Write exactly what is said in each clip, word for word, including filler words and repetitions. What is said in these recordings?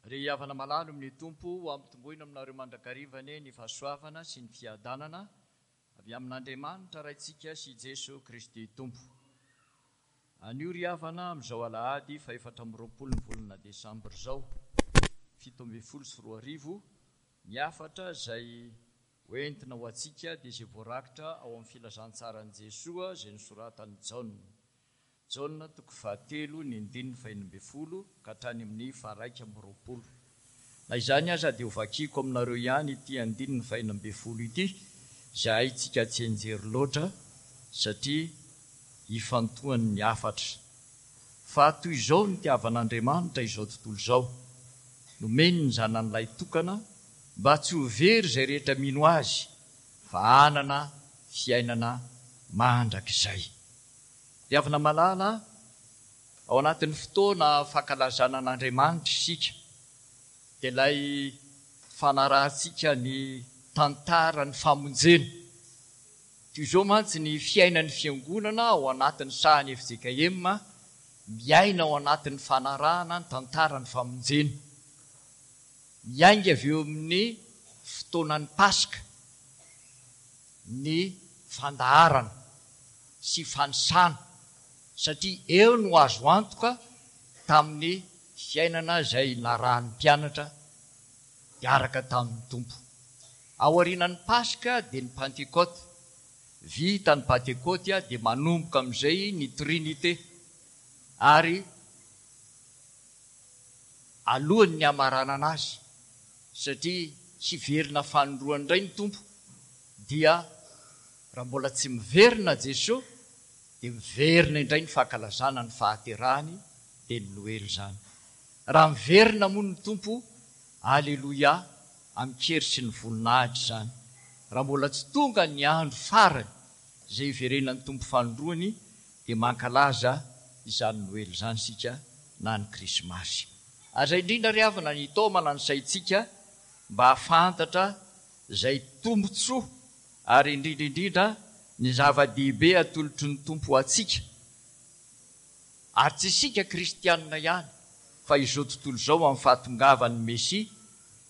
Ry havana malala amin'ny Tompo, ho ampitomboina aminareo mandrakariva anie ny fahasoavana sy ny fiadanana avy amin'Andriamanitra Raintsika sy Jeso Kristy Tompo. Anio ry havana, amin'izao alahady fahefatra amby roapolo ny volana desambra izao, fito ambin'ny folo sy roa arivo, ny hafatra izay hoentina ho antsika dia izay voarakitra ao amin'ny filazantsaran'i Jesoa izay nosoratan'i Jaona. Jaona toko fahatelo ny andininy fahenina ambin'ny folo ka hatrany amin'ny faharaika amby roapolo. Na izany aza dia hovakiko aminareo ihany ity andininy fahenina ambin'ny folo ity, izay haintsika tsianjery loatra satria ifantohan'ny hafatra. Fa toy izao no nitiavan'Andriamanitra izao tontolo izao, nomeny ny Zanany lahitokana mba tsy ho very izay rehetra mino Azy, fa hanana fiainana mandrakizay. Ry havana malala, ao anatin'ny fotoana fankalazana an'Andriamanitra isika, dia ilay fanarahantsika ny tantaran'ny famonjena. Toy izao mantsy ny fiainan'ny Fiangonana ao anatin'ny sahan'ny F J K M, miaina ao anatin'ny fanarahana ny tantaran'ny famonjena. Miainga avy eo amin'ny fotoanan'ny Paska ny fandaharana sy fanisana, satria eo no azo antoka tamin'ny fiainana izay narahan'ny mpianatra niaraka tamin'ny Tompo. Aorianan'ny Paska dia ny Pantekote. Vita ny Pantekote dia manomboka amin'izay ny Trinite, ary alohan'ny hamaranana azy, satria hiverina fanindroany indray ny Tompo, dia raha mbola tsy miverina Jesoa dia miverina indray ny fankalazana ny fahaterahany, dia ny Noely izany. Raha miverina moa ny Tompo, Aleloia, amin-kery sy ny voninahitra izany. Raha mbola tsy tonga ny andro farany izay hiverenan'ny Tompo fanindroany, dia mankalaza izany Noely izany isika na ny Krismasy. Ary izay indrindra ry havana ny hitaomana ny saintsika mba hahafantatra izay tombontsoa ary indrindra indrindra ny zava-dehibe atolotry ny Tompo ho antsika. Ary tsy isika kristianina ihany fa izao tontolo izao amin'ny fahatongavan'ny Mesia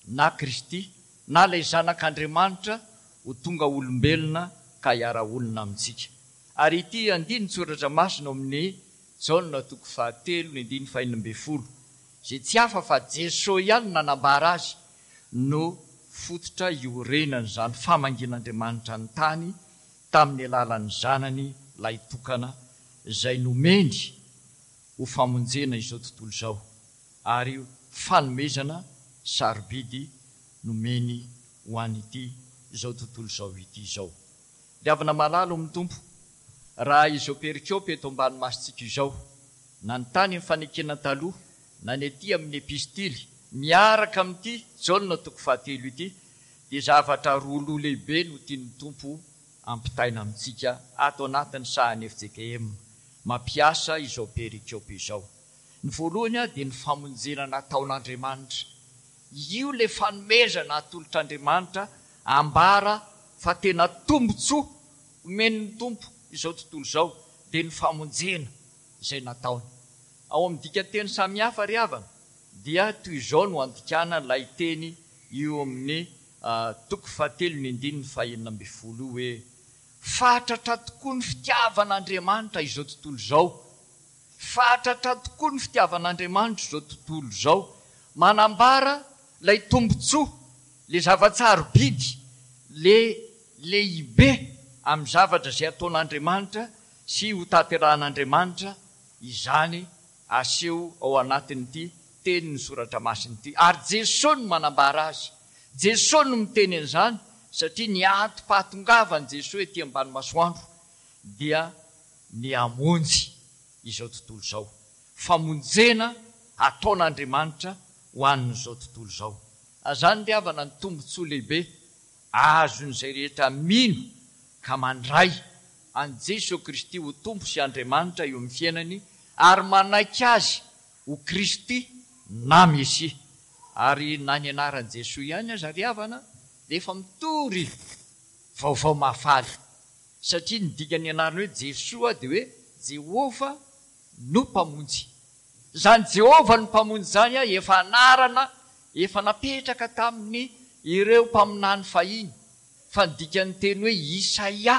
na Kristy na ilay Zanak'Andriamanitra ho tonga olombelona ka hiara-honina amintsika. Ary ity andinin-tsoratra masina ao amin'ny Jaona toko fahatelo ny andininy fahenina ambin'ny folo, izay tsy hafa fa Jesoa ihany no nanambara azy, no fototra iorenan'izany famangian'Andriamanitra ny tany tamin'ny alalan'ny Zanany lahitokana izay nomeny ho famonjena izao tontolo izao ary fanomezana sarobidy nomeny ho an'ity izao tontolo izao ity izao. Ry havana malala ao amin'ny Tompo, raha izao perikopa eto ambany masontsika izao, na ny tany amin'ny fanekena taloha, na ny aty amin'ny epistily, miaraka amin'ity Jaona toko fahatelo ity, dia zavatra roa loha lehibe no tian'ny Tompo ampitaina amintsika ato anatin'ny sahan'ny F J K M mampiasa izao perikopa izao. Ny voalohany dia ny famonjena nataon'Andriamanitra. Io ilay fanomezana atolotr'Andriamanitra ambara fa tena tombontsoa omen'ny Tompo izao tontolo izao, dia ny famonjena izay nataony. Ao amin'ny dikanteny samihafa ry havana dia toy izao no andikana ilay teny io amin'ny toko fahatelo ny andininy fahenina ambin'ny folo io hoe, Fatratra tokoa ny fitiavan'Andriamanitra izao tontolo izao. Fatratra tokoa ny fitiavan'Andriamanitra izao tontolo izao. Manambara ilay tombontsoa, ilay zava-tsarobidy, ilay lehibe amin'ny zavatra izay ataon'Andriamanitra sy hotanterahan'Andriamanitra izany aseho ao anatin'ity tenin'ny Soratra Masina ity. Ary Jesoa no manambara azy. Jesoa no miteny an'izany satria ny antom-pahatongavan'i Jesoa ety ambany masoandro dia ny hamonjy izao tontolo izao. Famonjena ataon'Andriamanitra ho an'izao tontolo izao. Izany ry havana ny tombontsoa lehibe azon'izay rehetra mino ka mandray an'i Jesoa Kristy ho Tompo sy Andriamanitra eo amin'ny fiainany ary manaiky Azy ho Kristy na Mesia. Ary na ny anaran'i Jesoa ihany aza ry havana dia efa mitory vaovao mahafaly, satria ny dikan'ny anarany hoe Jesoa dia hoe Jehovah no Mpamonjy. Izany Jehovah no Mpamonjy izany efa anarana efa napetraka tamin'ny ireo mpaminany fahiny, fa ny dikan'ny teny hoe Isaia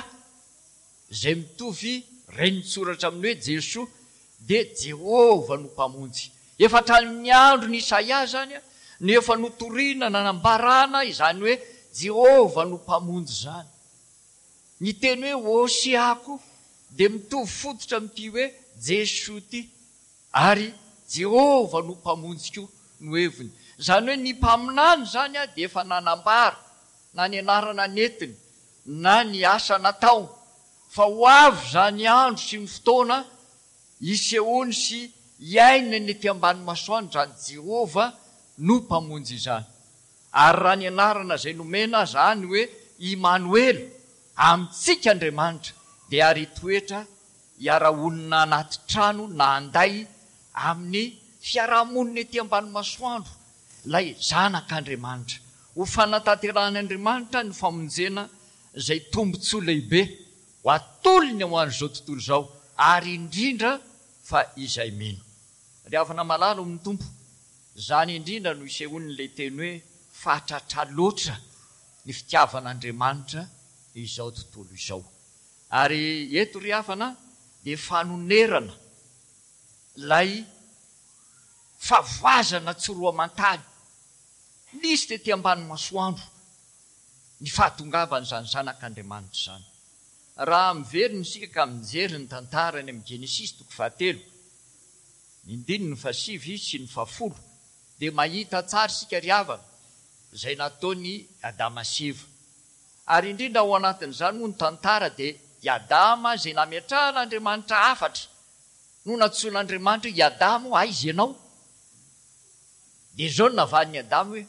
izay mitovy renin-tsoratra amin'ny hoe Jesoa dia Jehovah no Mpamonjy. Efa hatramin'ny andron'i Isaia izany no efa notorina, nanambarana izany hoe Jehovah no Mpamonjy izany. Ny teny hoe Hosea koa dia mitovy fototra amin'ity hoe Jesoa ity, ary Jehovah no Mpamonjy koa no heviny. Izany hoe ny mpaminany izany dia efa nanambara na ny anarana nentiny na ny asa nataony fa ho avy izany andro sy ny fotoana hisehoany sy hiainany ety ambany masoandro izany Jehovah no Mpamonjy izany. Ary raha ny anarana izay nomena aza ny hoe Imanoela, amintsika Andriamanitra, dia ary hitoetra hiara-honina anaty trano na anday amin'ny fiaraha-monina ety ambany masoandro ilay Zanak'Andriamanitra. Ho fanatanterahan'Andriamanitra ny famonjena izay tombontsoa lehibe ho atolony ho an'izao tontolo izao, ary indrindra fa izay mino. Ry havana malala ao amin'ny Tompo, izany indrindra no isehoan'ilay teny hoe fatratra loatra ny fitiavan'Andriamanitra izao tontolo izao. Ary eto ry havana dia fanonerana ilay fahavoazana tsy roa aman-tany nisy tety ambany masoandro ny fahatongavan'izany Zanak'Andriamanitra izany. Raha miverina isika ka mijery ny tantara any amin'ny Genesisy toko fahatelo, ny andininy fahasivy sy ny fahafolo, dia mahita tsara isika ry havana izay nataon'i Adama sy Eva. Ary indrindra ao anatin'izany moa ny tantara dia i Adama izay nametrahan'Andriamanitra hafatra no nantsoin'Andriamanitra hoe i Adama o, aiza ianao? Dia izao no navalin'i Adama hoe,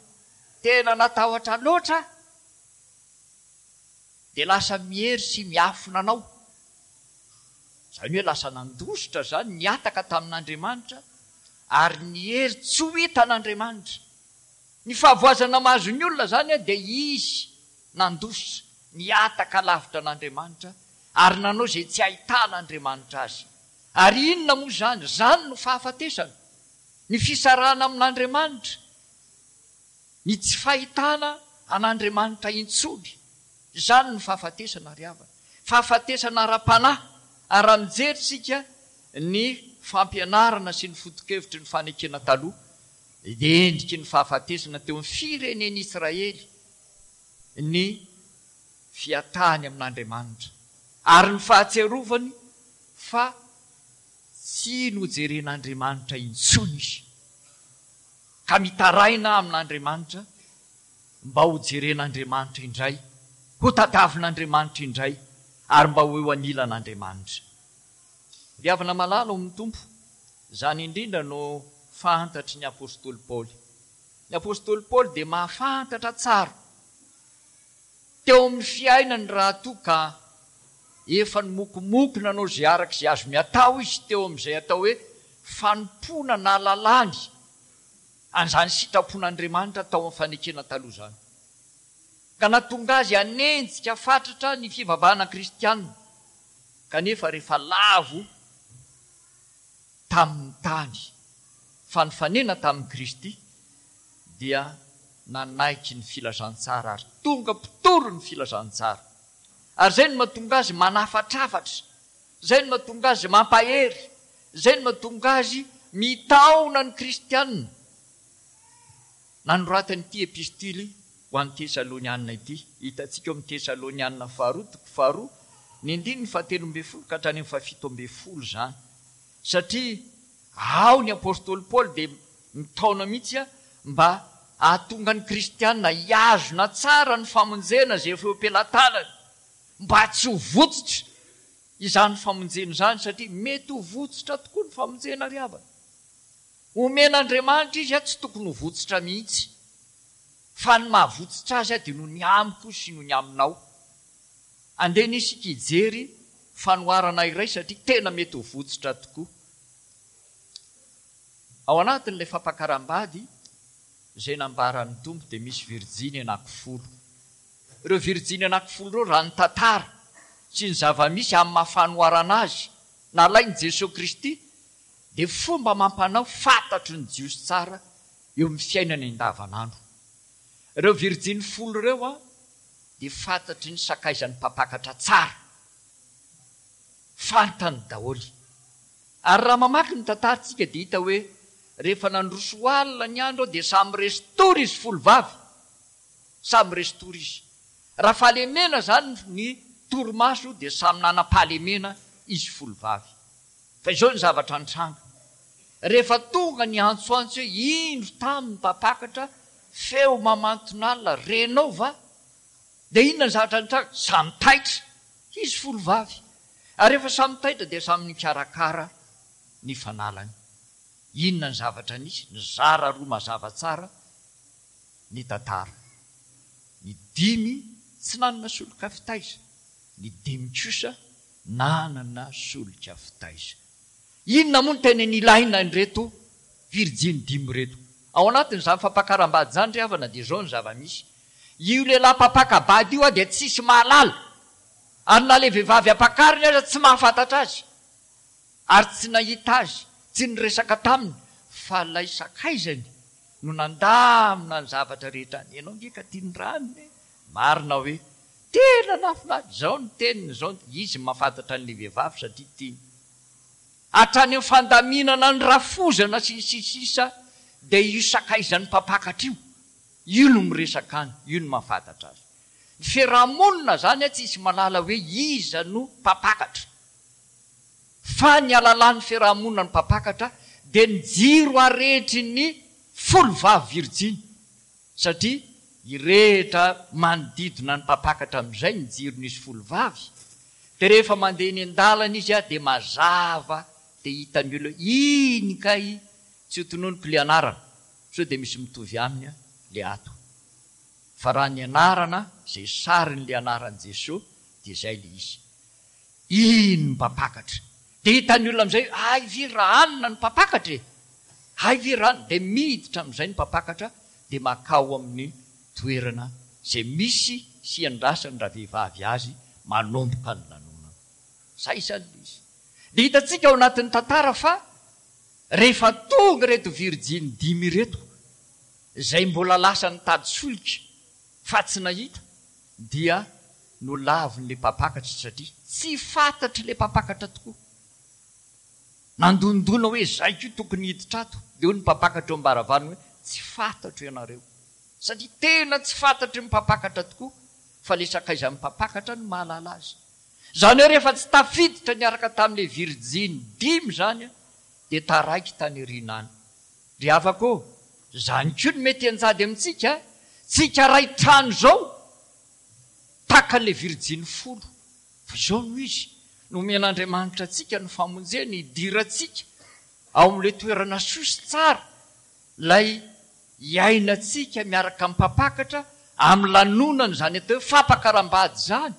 tena natahotra loatra aho, dia lasa miery sy miafina anao. Izany hoe lasa nandositra izany, nihataka tamin'Andriamanitra, ary niery tsy ho hitan'Andriamanitra. Ny fahavoazana mahazo ny olona izany dia izy nandositra, nihataka lavitra an'Andriamanitra, ary nanao izay tsy ahitan'Andriamanitra azy. Ary inona moa izany? Izany no fahafatesana, ny fisarahana amin'Andriamanitra, ny tsy fahitana an'Andriamanitra intsony. Izany no fahafatesana ry havana. Fahafatesana ara-panahy. Ary raha mijery isika ny fampianarana sy ny foto-kevitry ny fanekena taloha, dia endriky ny fahafatesana teo amin'ny firenen'Israely ny fiatahany amin'Andriamanitra, ary ny fahatsiarovany fa tsy nojeren'Andriamanitra intsony izy, ka mitaraina amin'Andriamanitra mba ho jeren'Andriamanitra indray, ho tadiavin'Andriamanitra indray, ary mba ho eo anilan'Andriamanitra. Ry havana malala ao amin'ny Tompo, izany indrindra no fantatry ny apostoly Paoly. Ny apostoly Paoly dia mahafantatra tsara teo amin'ny fiainany raha toa ka efa nimokomoko nanao izay araka izay azony atao izy teo amin'izay atao hoe fanompoana nahalalany an'izany sitrapon'Andriamanitra tao amin'ny fanekena taloha izany, ka nahatonga azy hanenjika fatratra ny fivavahana kristiana, kanefa rehefa lavo tamin'ny tany fa nifanena tamin'i Kristy dia nanaiky ny filazantsara ary tonga mpitory ny filazantsara. Ary izay no mahatonga azy manafatrafatra, izay no mahatonga azy mampahery, izay no mahatonga azy mitaona ny kristiana. Nanoratany ity epistily ho an'ny Tesalonianina ity. Hitantsika ao amin'ny Tesalonianina faharoa toko faharoa ny andininy fahatelo ambin'ny folo ka hatrany amin'ny fahafito ambin'ny folo izany. Satria ao ny apostoly Paoly dia mitaona mihitsy mba hahatonga ny kristiana hihazona tsara ny famonjena izay efa eo am-pelatanany, mba tsy ho votsotra izany famonjena izany, satria mety ho votsotra tokoa ny famonjena ry havana. Omen'Andriamanitra izy tsy tokony ho votsotra mihitsy, fa ny mahavotsotra azy dia noho ny amiko sy noho ny aminao. Andeha anie isika hijery fanoharana iray satria tena mety ho votsotra tokoa. Ao anatin'ilay fampakaram-bady izay nambaran'ny Tompo dia misy virjiny anakifolo. Ireo virjiny anakifolo ireo raha ny tantara sy ny zava-misy amin'ny maha fanoharana azy nalain'i Jesoa Kristy dia fomba amam-panao fantatry ny Jiosy tsara eo amin'ny fiainana andavanandro. Ireo virjiny folo ireo a dia fantatry ny sakaizan'ny mpampakatra tsara. Fantany daholo. Ary raha mamaky ny tantarantsika dia hita hoe rehefa nandroso alina ny andro dia samy resy tory izy folo vavy. Samy resy tory izy. Raha fahalemena izany ny torimaso dia samy nanam-pahalemena izy folo vavy. Fa izao ny zavatra nitranga. Rehefa tonga ny antsoantso hoe indro tamy ny mpampakatra, feo mamanton'alina, renao va? Dia inona ny zavatra nitranga? Samy taitra izy folo vavy. Ary rehefa samy taitra dia samy nikarakara ny fanalany. Inona ny zavatra nisy? Nizara roa mazava tsara ny tantara. Ny dimy tsy nanana solika fitaiza, ny dimy kosa nanana solika fitaiza. Inona moa no tena nilaina an'ireto virjiny dimy ireto? Ao anatin'izany fampakaram-bady izany ry havana dia izao ny zava-misy. Io lehilahy mpampaka-bady io dia tsisy mahalala. Ary na ilay vehivavy ampakariny aza tsy mahafantatra azy. Ary tsy nahita azy, tsy niresaka taminy, fa ilay sakaizany no nandamina ny zavatra rehetra. Ianao nge ka tia ny ranony e! Marina hoe, tena nahafinaritra, izao ny teniny, izao ny, izy mahafantatra an'ilay vehivavy satria tiany. Hatrany amin'ny fandaminana ny rafozana sy ny sisa dia io sakaizan'ny mpampakatra io, io no miresaka any, io no mahafantatra azy. Ny fiarahamonina izany tsisy mahalala hoe iza no mpampakatra. Fa ny halalan'ny fiarahamonina ny mpampakatra dia ny jiro arehetry ny folo vavy virjiny. Satria irehitra manodidina ny mpampakatra amin'izay ny jiron'izy folo vavy. Dia rehefa mandeha eny an-dalana izy dia mazava dia hitan'ny olona hoe iny kay, tsy ho tononiko ilay anarana sao dia misy mitovy aminy ilay ato. Fa raha ny anarana izay sarin'ilay anaran'i Jesoa dia izay ilay izy. Iny ny mpampakatra. Dia hitan'ny olona amin'izay hoe hay ve raha anona ny mpampakatra e! Hay ve raha anona. Dia miditra amin'izay ny mpampakatra dia makao amin'ny toerana izay misy sy iandrasan'ny ravehivavy azy manomboka ny lanonana. Izay izany ilay izy. Dia hitantsika ao anatin'ny tantara fa rehefa tonga ireto virjiny dimy ireto, izay mbola lasa nitady solika fa tsy nahita, dia nolavin'ilay mpampakatra satria tsy fantatr'ilay mpampakatra tokoa. Nandondona hoe izay koa tokony hiditra ato. Dia hoy ny mpampakatra eo am-baravarana hoe tsy fantatro ianareo. Satria tena tsy fantatry ny mpampakatra tokoa fa ilay sakaizan'ny mpampakatra no mahalala azy. Izany hoe rehefa tsy tafiditra niaraka tamin'ilay virjiny dimy izany dia taraiky tany aoriana any. Ry havako ô, izany koa no mety hianjady amintsika, tsika ray trano izao tahaka an'ilay virjiny folo. Fa izao no izy, nomen'Andriamanitra antsika ny famonjena hidirantsika ao amin'ilay toerana soa sy tsara, ilay iainantsika miaraka amin'ny mpampakatra amin'ny lanonana izany atao hoe fampakaram-bady izany.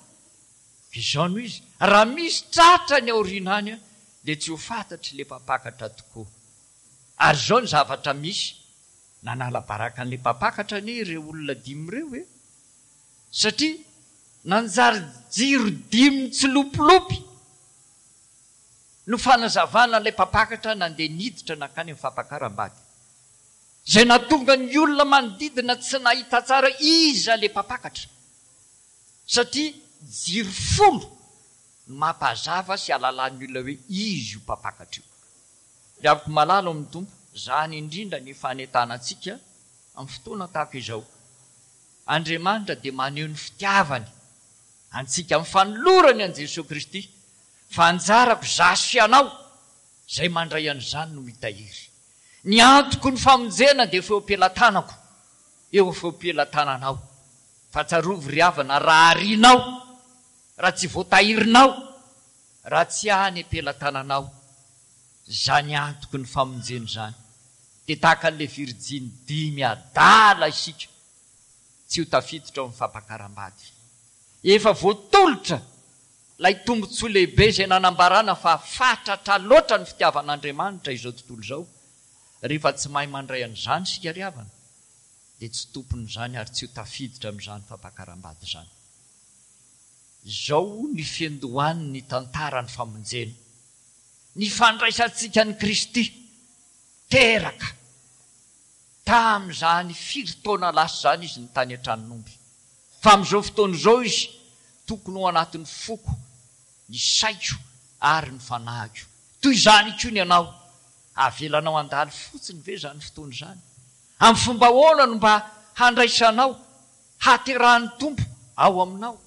Izao no izy, raha misy tratra any aoriana any dia tsy ho fantatr'ilay mpampakatra tokoa. Ary izao ny zavatra misy, nanala baraka an'ilay mpampakatra anie ireo olona dimy ireo e! Satria nanjary jiro dimy mitsilopilopy no fanazavana an'ilay mpampakatra nandeha niditra nankany amin'ny fampakaram-bady. Izay nahatonga ny olona manodidina tsy nahita tsara iza ilay mpampakatra. Satria jiro folo no mampazava sy ahalalan'ny olona hoe izy io mpampakatra io. Ry havako malala ao amin'ny Tompo, izany indrindra ny fanentanantsika amin'ny fotoana tahaka izao. Andriamanitra dia maneho ny fitiavany antsika amin'ny fanolorany an'i Jesoa Kristy, fa anjarako izaho sy ianao izay mandray an'izany no mitahiry. Ny antoko ny famonjena dia efa eo am-pelatanako, eo efa eo am-pelatananao. Fa tsarovy ry havana, raha arianao, raha tsy voatahirinao, raha tsy any am-pelatananao izany antoko ny famonjena izany, dia tahaka an'ilay virjiny dimy adala isika, tsy ho tafiditra ao amin'ny fampakaram-bady. Efa voatolotra ilay tombontsoa lehibe izay nanambarana fa fatratra loatra ny fitiavan'Andriamanitra izao tontolo izao. Rehefa tsy mahay mandray an'izany isika ry havana, dia tsy tompon'izany ary tsy ho tafiditra amin'izany fampakaram-bady izany. Izao ny fiandohan'ny tantaran'ny famonjena, ny fandraisantsika an'i Kristy teraka Tamin'izany firy taona lasa izany izy no tany an-tranon'omby. Fa amin'izao fotoana izao izy tokony ho anatin'ny foko, ny saiko ary ny fanahiko. Toy izany koa ny anao. Avelanao handalo fotsiny ve izany fotoana izany? Amin'ny fomba ahoana no mba handraisanao, hahaterahan'ny Tompo ao aminao?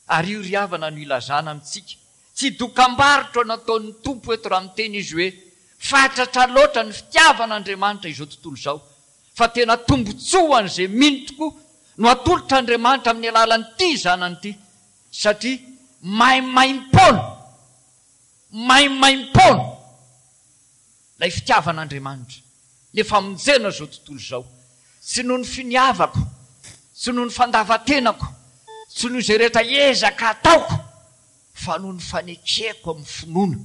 Ary io ry havana no ilazana amintsika, tsy dokambarotra nataon'ny Tompo eto raha miteny Izy hoe, Fatratra loatra ny fitiavan'Andriamanitra izao tontolo izao, fa tena tombontsoa ho an'izay mino tokoa no atolotr'Andriamanitra amin'ny alalan'ity Zanany ity, satria maimaimpoana, maimaimpoana ilay fitiavan'Andriamanitra, ilay famonjena izao tontolo izao, tsy noho ny finiavako, tsy noho ny fandavan-tenako, tsy noho izay rehetra ezaka ataoko, fa noho ny fanekeko amin'ny finoana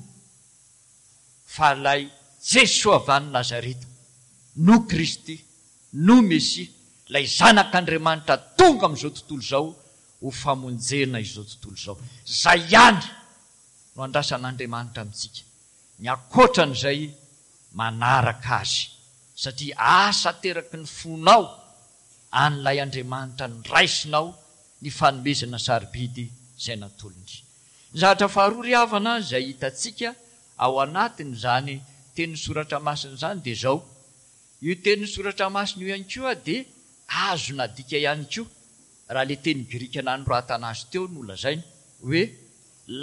fa ilay Jesoa avy any Nazareta no Kristy, no Mesia, ilay Zanak'Andriamanitra tonga amin'izao tontolo izao ho famonjena izao tontolo izao. Izay ihany no andrasan'Andriamanitra amintsika, ny ankoatran'izay manaraka Azy, satria asa ateraky ny fonao an'ilay Andriamanitra niraisinao ny fanomezana sarobidy izay natolony. Ny zavatra faharoa ry havana izay hitantsika ao anatin'izany tenin'ny Soratra Masina izany dia izao, io tenin'ny Soratra Masina io ihany koa dia azo nadika ihany koa, raha ilay teny grika nanoratana azy teo no lazaina, hoe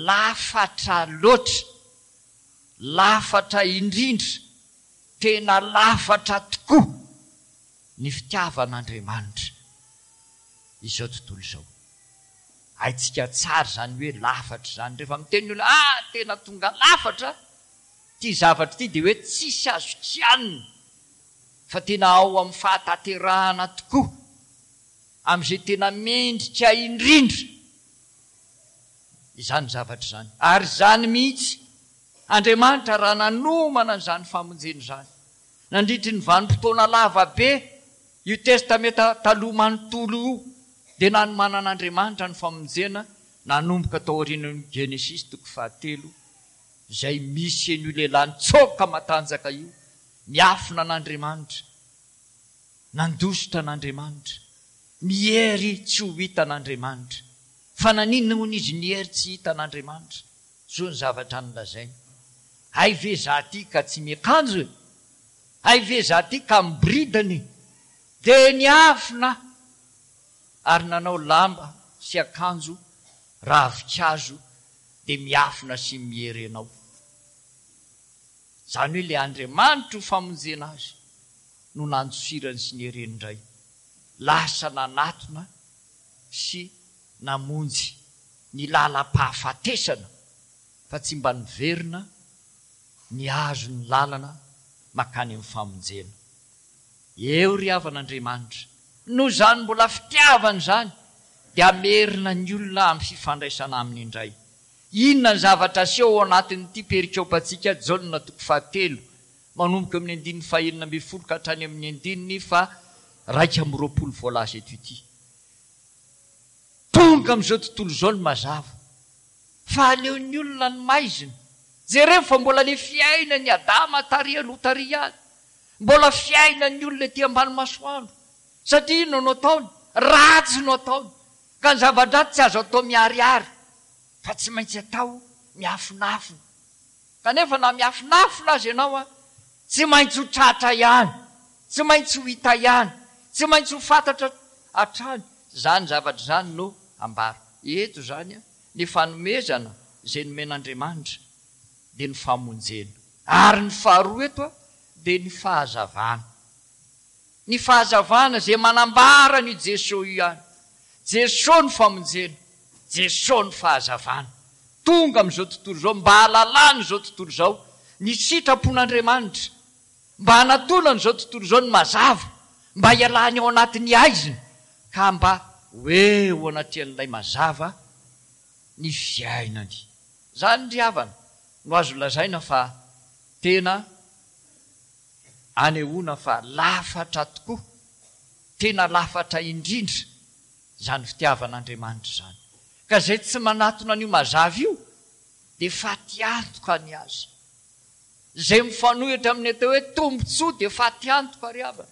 lafatra loatra, lafatra indrindra, tena lafatra tokoa ny fitiavan'Andriamanitra izao tontolo izao. Haintsika tsara izany hoe lafatra izany. Rehefa miteny ny olona, ah, tena tonga lafatra ity zavatra ity, dia hoe tsisy azo kianina, fa tena ao amin'ny fahatanterahana tokoa, amin'izay tena mendrika indrindra izany zavatra izany. Ary izany mihitsy, Andriamanitra raha nanomana an'izany famonjena izany, nandritry ny vanim-potoana lava be, io Testamenta Taloha manontolo io dia nanomanan'Andriamanitra ny famonjena nanomboka tao aorian'ny Genesisy toko fahatelo izay misy an'io lehilahy nitsoaka matanjaka io, miafina an'Andriamanitra, nandositra an'Andriamanitra, miery tsy ho hitan'Andriamanitra. Fa naninona hono izy niery tsy hitan'Andriamanitra? Zao ny zavatra nolazainy, Hay ve za ty ka tsy miakanjo e? Hay ve za ty ka miboridana e? Dia niafina ary nanao lamba sy akanjo ravinkazo dia miafina sy miery anao. Izany hoe ilay Andriamanitra ho famonjena azy no nandosirany sy niereny indray. Lasa nanatona sy namonjy ny lalam-pahafatesana fa tsy mba niverina nihazo ny lalana mankany amin'ny famonjena. Eo ry havana Andriamanitra, noho izany mbola fitiavana izany dia hamerina ny olona amin'ny fifandraisana Aminy indray. Inona ny zavatra aseho ao anatin'ity perikopantsika Jaona toko fahatelo manomboka eo amin'ny andininy fahenina ambin'ny folo ka hatrany amin'ny andininy faha-iraika amby roapolo voalaza eto ity? Tonga amin'izao tontolo izao ny mazava, fa aleon'ny olona ny maizina. Jereo fa mbola le fiainan'i Adama tary aloha tary ihany. Mbola fiainan'ny olona ety ambany masoandro. Satria inona no ataony? Ratsy no ataony. Ka ny zava-dratsy tsy azo atao miharihary, fa tsy maintsy atao miafinafina. Kanefa na miafinafina aza ianao, tsy maintsy ho tratra ihany, tsy maintsy ho hita ihany, tsy maintsy ho fantatra hatrany. Izany zavatra izany no ambara eto izany, ny fanomezana izay nomen'Andriamanitra dia ny famonjena. Ary ny faharoa eto dia ny fahazavana. Ny fahazavana izay manambara an'io Jesoa io ihany. Jesoa no famonjena, Jesoa no fahazavana. Tonga amin'izao tontolo izao mba hahalalana izao tontolo izao ny sitrapon'Andriamanitra, mba hanatonana izao tontolo izao ny mazava, mba hialany ao anatin'ny haizina ka mba ho eo anatrehan'ilay mazava ny fiainany. Izany ry havana no azo lazaina fa tena anehoana fa lafatra tokoa, tena lafatra indrindra izany fitiavan'Andriamanitra izany. Ka izay tsy manatona an'io mazava io dia fatiantoka ny azy. Izay mifanohitra amin'ny atao hoe tombontsoa dia faty antoka ry havana.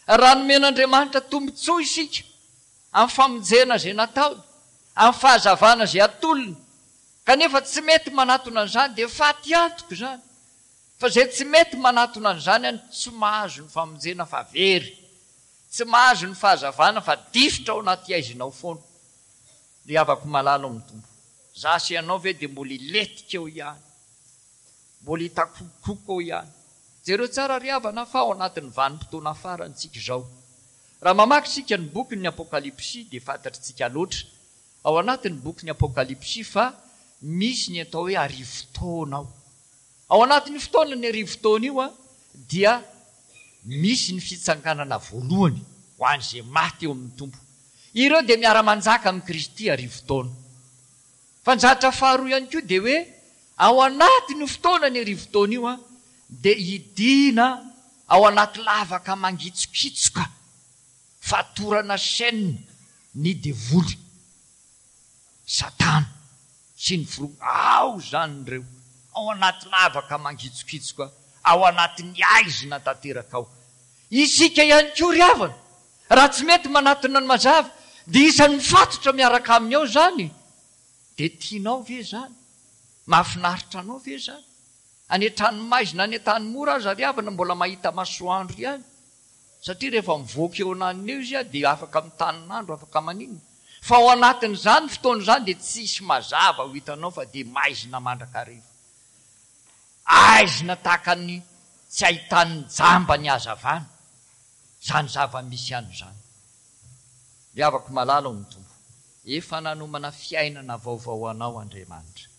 Raha nomen'Andriamanitra tombontsoa isika amin'ny famonjena izay nataony, amin'ny fahazavana izay atolony, kanefa tsy mety manatona an'izany dia faty antoka izany. Fa izay tsy mety manatona an'izany any tsy mahazo ny famonjena fa very, tsy mahazo ny fahazavana fa difotra ao anaty haizina ao foana. Ry havako malala ao amin'ny Tompo, za sy ianao ve dia mbola hilentika eo ihany? Mbola hitakokoko eo ihany? Jereo tsara ry havana fa ao anatin'ny vanim-potoana farany tsika izao. Raha mamaky isika ny bokin'ny Apokalypsy dia fantatritsika loatra ao anatin'ny bokin'ny Apokalypsy fa misy ny atao hoe arivo taona ao. Ao anatin'io fotoana ny arivo taona io dia misy ny fitsanganana voalohany ho an'izay maty eo amin'ny Tompo. Ireo dia miara-manjaka amin'i Kristy arivo taona. Fa ny zavatra faharoa ihany koa dia hoe ao anatin'io fotoana ny arivo taona io dia hidina ao anaty lavaka mangitsokitsoka fatorana chaîne ny devoly, Satana sy ny filoha. Ao izany ireo, ao anaty lavaka mangitsokitsoka, ao anatin'ny haizina tanteraka ao. Isika ihany koa ry havana, raha tsy mety manatona ny mazava, dia isan'ny mifatotra miaraka aminy ao izany. Dia tianao ve izany? Mahafinaritra anao ve izany? Any an-tranomaizina, any an-tany mora aza ry havana mbola mahita masoandro ihany. Satria rehefa mivoaka eo ananiny eo izy dia afaka mitanin'andro, afaka maninona. Fa ao anatin'izany fotoana izany dia tsisy mazava ho hitanao fa dia maizina mandrakariva. Aizina tahaka ny tsy ahitan'ny jamba ny hazavana. Izany zava-misy ihany izany. Ry havako malala ao amin'ny Tompo, efa nanomana fiainana vaovao ho anao Andriamanitra.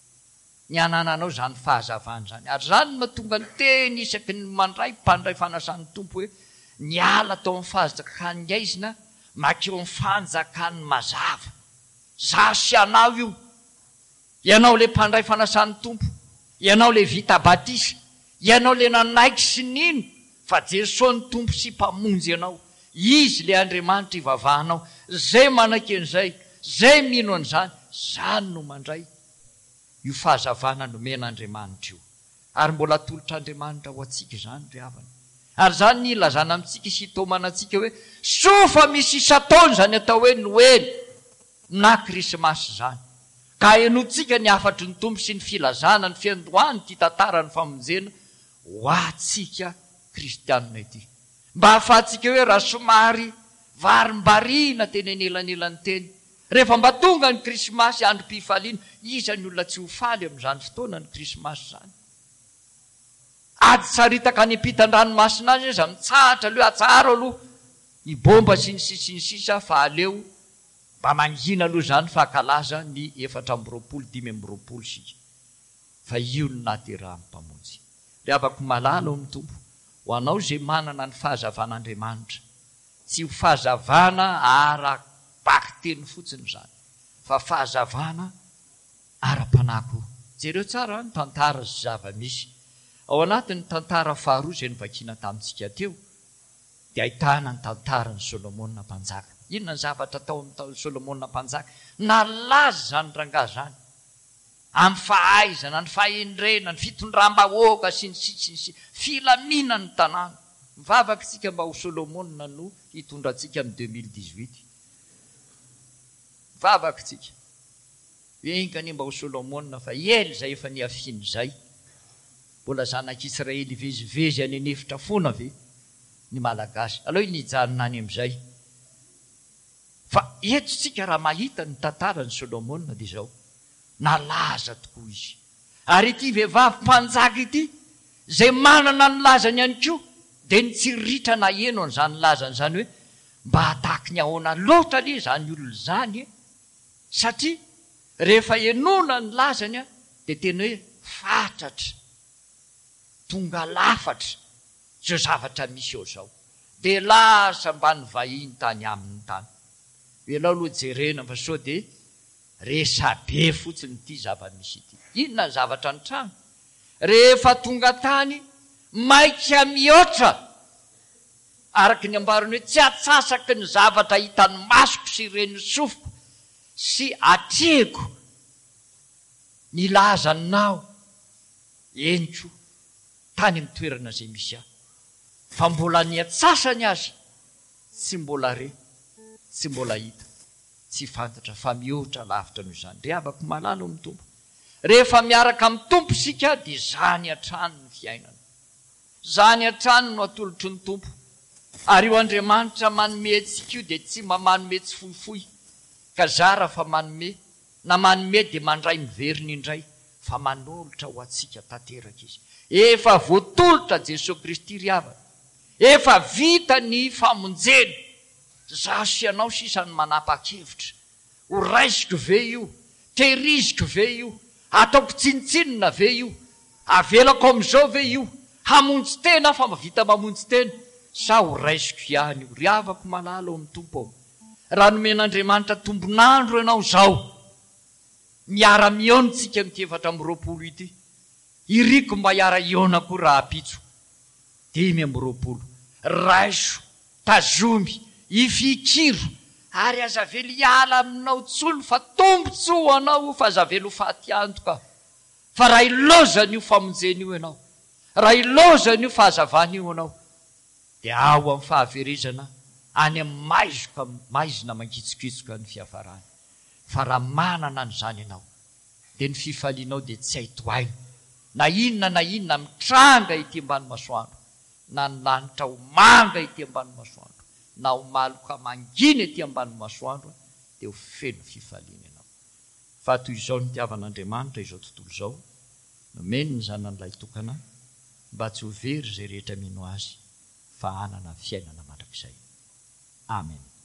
Ny hanananao izany fahazavana izany. Ary izany no mahatonga ny teny isaky ny mandray mpandray fanasan'ny Tompo hoe niala tao amin'ny fanjakan'ny haizina mankeo amin'ny fanjakan'ny mazava. Izaho sy ianao io. Ianao ilay mpandray fanasan'ny Tompo. Ianao ilay vita batisa. Ianao ilay nanaiky sy nino fa Jesoa no Tompo sy Mpamonjy anao. Izy ilay Andriamanitra ivavahanao. Izay manaiky an'izay, izay mino an'izany, izany no mandray io fahazavana nomen'Andriamanitra io. Ary mbola atolotr'Andriamanitra ho antsika izany ry havana. Ary izany ny ilazana amintsika sy itaomana antsika hoe soa fa misy isan-taona izany atao hoe Noely na Krismasy izany. Ka henointsika ny hafatry ny Tompo sy ny filazana ny fiandohan'ity tantaran'ny famonjena ho antsika kristianina ity. Mba hahafahantsika hoe raha somary varimbariana teny anelanelan'ny teny, rehefa mba tonga ny Krismasy androm-pifaliana, iza ny olona tsy ho faly amin'izany fotoana ny Krismasy izany? Ady saritaka any ampitan-dranomasina any aza mitsahatra aloha, atsaharo aloha ny bomba sy ny sisa sy ny sisa fa aleo mba mangina aloha izany fa hankalaza ny efatra amby roapolo dimy amby roapolo isika fa io no nahaterahan'ny Mpamonjy. Ry havako malala ao amin'ny Tompo, ho anao izay manana ny fahazavan'Andriamanitra, tsy ho fahazavana ara-bakiteny fotsiny izany fa fahazavana ara-panahy koa. Jereo tsara ny tantara sy zava-misy. Ao anatin'ny tantara faharoa izay novakiana tamintsika teo dia ahitana ny tantaran'i Solomona mpanjaka. Inona ny zavatra tao amin'ny Solomona mpanjaka? Nalaza izany rangahy izany amin'ny fahaizana, ny fahendrena, ny fitondram-bahoaka sy ny sisa sy ny sisa, filaminan'ny tanàna. Mivavaka isika mba ho Solomona no hitondra antsika amin'ny deux mille dix-huit. Mivavaka isika. Enga anie mba ho Solomona fa ela izay efa nihafiana izay. Mbola zanak'Israely hivezivezy any an'efitra foana ve ny Malagasy? Aleo nijanona any amin'izay. Fa eto isika raha mahita ny tantaran'i Solomona dia izao, nalaza tokoa izy. Ary ity vehivavy mpanjaka ity, izay manana ny lazany ihany koa, dia nitsiriritra naheno an'izany lazany izany hoe, mba hataky ny ahoana loatra anie izany olona izany e! Satria rehefa henoina ny lazany dia tena hoe fatratra, tonga lafatra izao zavatra misy eo izao. Dia lasa mba nivahiny tany aminy tany. Ianao aloha jerena fa sao dia resabe fotsiny ity zava-misy ity. Inona ny zavatra nitranga? Rehefa tonga tany, maika mihoatra, araka ny ambarany hoe tsy atsasaky ny zavatra hitan'ny masoko sy ren'ny sofiko sy atrehiko ny lazanao, eny koa, tany amin'ny toerana izay misy ahy. Fa mbola ny antsasany aza tsy mbola re, tsy mbola hita, tsy fantatra fa mihoatra lavitra noho izany. Ry havako malala ao amin'ny Tompo, rehefa miaraka amin'ny Tompo isika dia izany hatrany ny fiainana. Izany hatrany no atolotry ny Tompo. Ary io Andriamanitra manome antsika io dia tsy mba manome tsifoifoy ka zara fa manome, na manome dia mandray miverina indray fa manolotra ho antsika tanteraka Izy. Efa voatolotra Jesoa Kristy ry havana. Efa vita ny famonjena. Izaho sy ianao sisa no manapa-kevitra. Ho raisiko ve io? Tehiriziko ve io? Ataoko tsinontsinona ve io? Avelako amin'izao ve io? Hamonjy tena aho fa mahavita mamonjy tena sa ho raisiko ihany io? Ry havako malala ao amin'ny Tompo ô, raha nomen'Andriamanitra tombon'andro ianao izao, miara-mihaona isika amin'ity efatra amby roapolo ity, iriko mba hiara-hihaona koa rahampitso dimy amby roapolo. Raiso, tazomy, ifikiro, ary aza avela hiala aminao intsony fa tombontsoa ho anao io fa aza avela ho faty antoka fa raha ilaozana io famonjena io ianao, raha ilaozana io fahazavana io ianao dia ao amin'ny fahaverezana any amin'ny maizoka maizina mangitsokitsoka ny fiafarany fa raha manana an'izany ianao dia ny fifalianao dia tsy hay tohaina na inona na inona mitranga ety ambany masoandro na ny lanitra ho manga ety ambany masoandro na ho maloka mangina ety ambany masoandro dia ho feno fifaliana ianao. Fa toy izao nitiavan'Andriamanitra izao tontolo izao, nomeny ny Zanany Lahitokana mba tsy ho very izay rehetra mino Azy fa hanana fiainana mandrakizay. Amen.